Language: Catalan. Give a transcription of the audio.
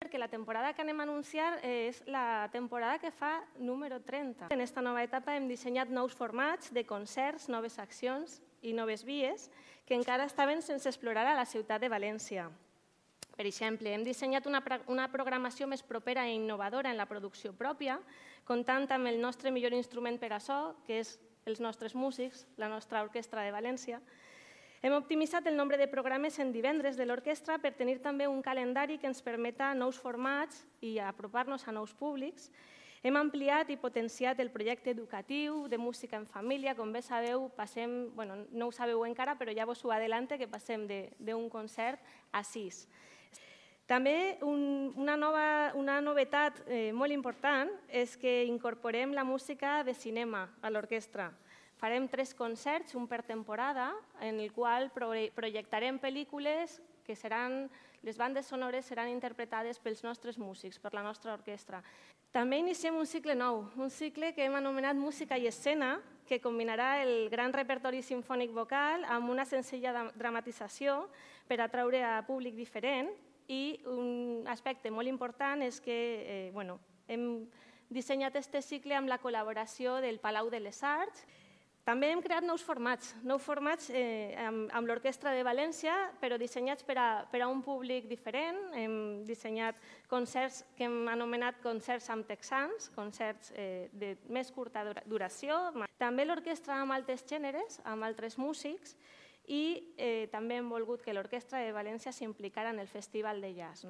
perquè la temporada que anem a anunciar és la temporada que fa número 30. En aquesta nova etapa hem dissenyat nous formats de concerts, noves accions i noves vies que encara estaven sense explorar a la ciutat de València. Per exemple, hem dissenyat una programació més propera i innovadora en la producció pròpia, comptant amb el nostre millor instrument per a so, que és els nostres músics, la nostra orquestra de València. Hem optimitzat el nombre de programes en divendres de l'orquestra per tenir també un calendari que ens permeta nous formats i apropar-nos a nous públics. Hem ampliat i potenciat el projecte educatiu de música en família. Com bé sabeu, passem, no ho sabeu encara, però ja vos ho adelante, que passem d'un concert a 6. També una novetat molt important és que incorporem la música de cinema a l'orquestra. Farem 3 concerts, un per temporada, en el qual projectarem pel·lícules que les bandes sonores seran interpretades pels nostres músics, per la nostra orquestra. També iniciem un cicle nou, un cicle que hem anomenat Música i Escena, que combinarà el gran repertori simfònic vocal amb una senzilla dramatització per atraure a públic diferent. I un aspecte molt important és que hem dissenyat aquest cicle amb la col·laboració del Palau de les Arts. També hem creat nous formats amb l'Orquestra de València, però dissenyats per a un públic diferent. Hem dissenyat concerts que hem anomenat concerts amb texans, concerts de més curta duració. També l'orquestra amb altres gèneres, amb altres músics, i també hem volgut que l'Orquestra de València s'implicara en el Festival de Jazz.